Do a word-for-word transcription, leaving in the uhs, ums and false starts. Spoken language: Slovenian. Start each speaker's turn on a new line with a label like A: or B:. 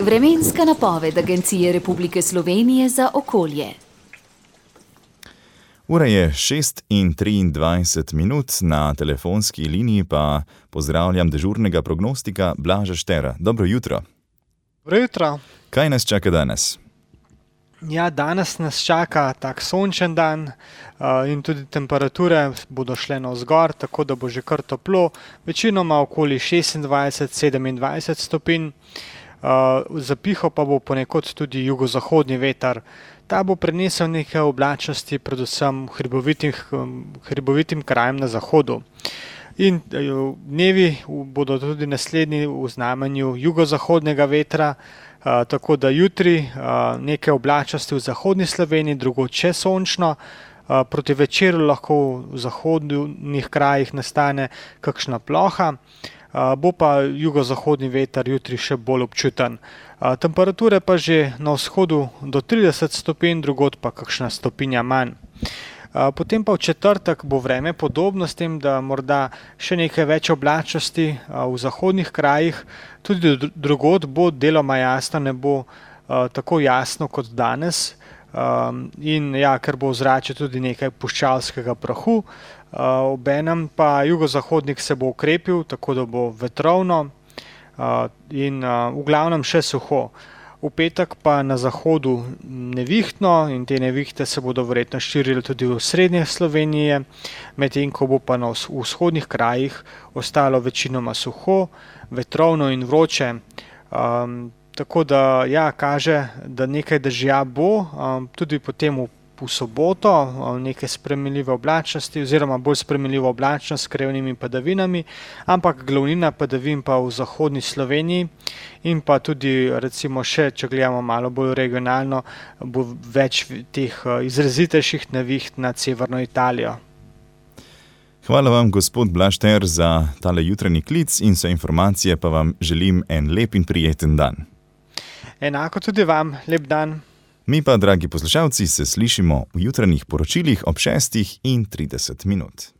A: Vremenska napoved Agencije Republike Slovenije za okolje.
B: Ura je šest in triindvajset minut, na telefonski liniji pa pozdravljam dežurnega prognostika Blaža Štera. Dobro jutro.
C: Dobro jutro.
B: Kaj nas čaka danes?
C: Ja, danes nas čaka tak sončen dan uh, in tudi temperature bodo šle navzgor, tako da bo že kar toplo, večinoma okoli šestindvajset sedemindvajset stopinj. Uh, zapihal pa bo ponekod tudi jugozahodni veter. Ta bo prinesel nekaj oblačnosti, predvsem hribovitim, hribovitim krajem na zahodu. In dnevi bodo tudi naslednji v znamenju jugozahodnega vetra, uh, tako da jutri uh, nekaj oblačnosti v zahodni Sloveniji, drugod še sončno. Uh, proti večeru lahko v zahodnih krajih nastane kakšna ploha. Uh, bo pa jugozahodni veter jutri še bolj občuten. Uh, temperature pa že na vzhodu do trideset stopinj, drugod pa kakšna stopinja manj. Uh, potem pa v četrtek bo vreme podobno, s tem, da morda še nekaj več oblačnosti uh, v zahodnih krajih, tudi drugod bo deloma jasno, ne bo uh, tako jasno kot danes. Um, in ja, ker bo v zraku tudi nekaj puščavskega prahu, uh, obenem pa jugozahodnik se bo ukrepil, tako da bo vetrovno uh, in uh, v glavnem še suho. V petek pa na zahodu nevihtno in te nevihte se bodo verjetno širile tudi v srednje Slovenije, medtem ko bo pa na vzhodnih krajih ostalo večinoma suho, vetrovno in vroče. Um, Tako da ja, kaže, da nekaj dežja bo, um, tudi potem v, v soboto um, nekaj spremenljive oblačnosti oziroma bolj spremenljivo oblačnost s krevnimi padavinami, ampak glavnina padavin pa v zahodni Sloveniji in pa tudi recimo še, če gledamo malo bolj regionalno, bo več teh uh, izrazitejših neviht nad severno Italijo.
B: Hvala vam, gospod Blaž Šter, za tale jutranji klic in vse informacije, pa vam želim en lep in prijeten dan.
C: Enako tudi vam, lep dan.
B: Mi pa, dragi poslušalci, se slišimo v jutranjih poročilih ob šestih in trideset minut.